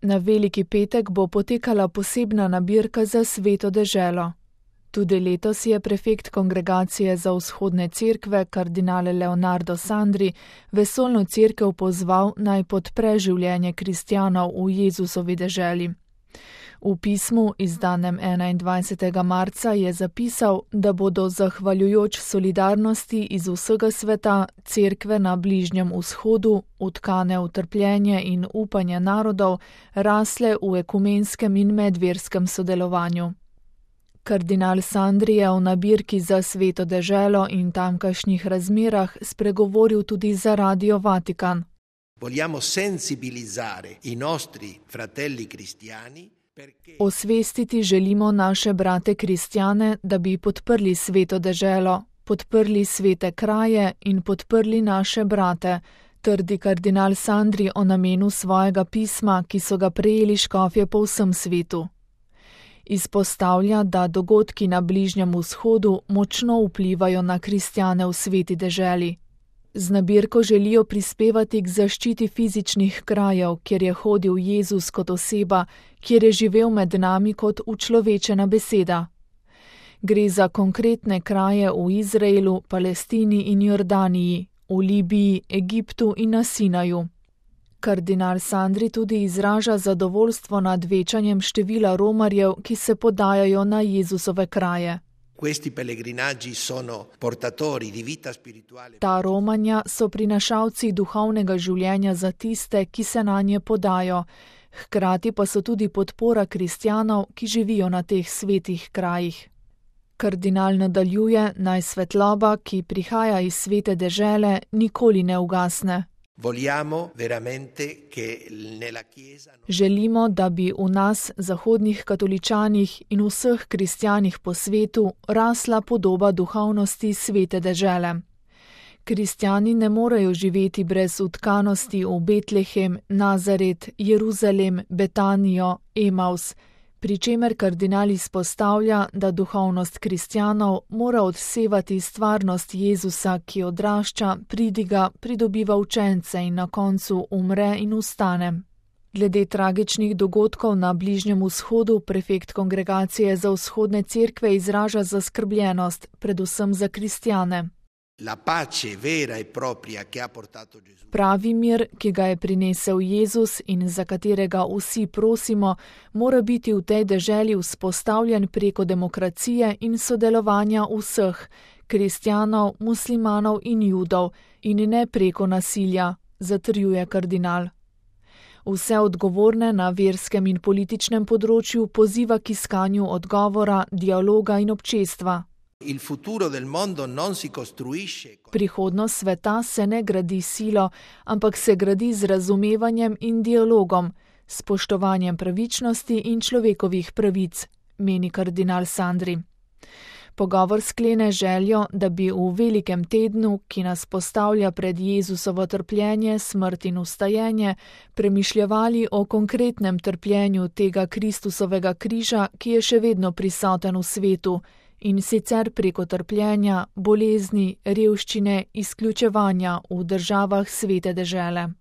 Na Veliki petek bo potekala posebna nabirka za Sveto deželo. Tudi letos je prefekt Kongregacije za vzhodne cerkve, kardinal Leonardo Sandri, vesoljno cerkev pozval, naj podpre življenje kristjanov v Jezusovi deželi. V pismu, izdanem 21. marca, je zapisal, da bodo zahvaljujoč solidarnosti iz vsega sveta cerkve na Bližnjem vzhodu, utkane v trpljenje in upanje narodov, rasle v ekumenskem in medverskem sodelovanju. Kardinal Sandri je v nabirki za Sveto deželo in tamkajšnjih razmerah spregovoril tudi za Radio Vatikan. Vogliamo sensibilizzare i nostri fratelli cristiani. Osvestiti želimo naše brate kristjane, da bi podprli Sveto deželo, podprli svete kraje in podprli naše brate, trdi kardinal Sandri o namenu svojega pisma, ki so ga prejeli škofje po vsem svetu. Izpostavlja, da dogodki na Bližnjem vzhodu močno vplivajo na kristjane v sveti deželi. Z nabirko želijo prispevati k zaščiti fizičnih krajev, kjer je hodil Jezus kot oseba, kjer je živel med nami kot učlovečena beseda. Gre za konkretne kraje v Izraelu, Palestini in Jordaniji, v Libiji, Egiptu in na Sinaju. Kardinal Sandri tudi izraža zadovoljstvo nad večanjem števila romarjev, ki se podajajo na Jezusove kraje. Ta romanja so prinašalci duhovnega življenja za tiste, ki se nanje podajo, hkrati pa so tudi podpora kristjanov, ki živijo na teh svetih krajih. Kardinal nadaljuje, naj svetloba, ki prihaja iz svete dežele, nikoli ne ugasne. Želimo, da bi v nas, zahodnih katoličanih in vseh kristjanih po svetu, rasla podoba duhovnosti svete dežele. Kristjani ne morejo živeti brez utkanosti v Betlehem, Nazaret, Jeruzalem, Betanijo, Emaus, pri čemer kardinal izpostavlja, da duhovnost kristjanov mora odsevati stvarnost Jezusa, ki odrašča, pridiga, pridobiva učence in na koncu umre in vstane. Glede tragičnih dogodkov na Bližnjem vzhodu prefekt Kongregacije za vzhodne cerkve izraža zaskrbljenost, predvsem za kristjane. Pravi mir, ki ga je prinesel Jezus in za katerega vsi prosimo, mora biti v tej deželi vzpostavljen preko demokracije in sodelovanja vseh, kristjanov, muslimanov in judov, in ne preko nasilja, zatrjuje kardinal. Vse odgovorne na verskem in političnem področju poziva k iskanju odgovora, dialoga in občestva. Prihodnost sveta se ne gradi silo, ampak se gradi z razumevanjem in dialogom, spoštovanjem pravičnosti in človekovih pravic, meni kardinal Sandri. Pogovor sklene željo, da bi v velikem tednu, ki nas postavlja pred Jezusovo trpljenje, smrt in vstajenje, premišljevali o konkretnem trpljenju tega Kristusovega križa, ki je še vedno prisoten v svetu, in sicer preko trpljenja, bolezni, revščine, izključevanja v državah svete dežele.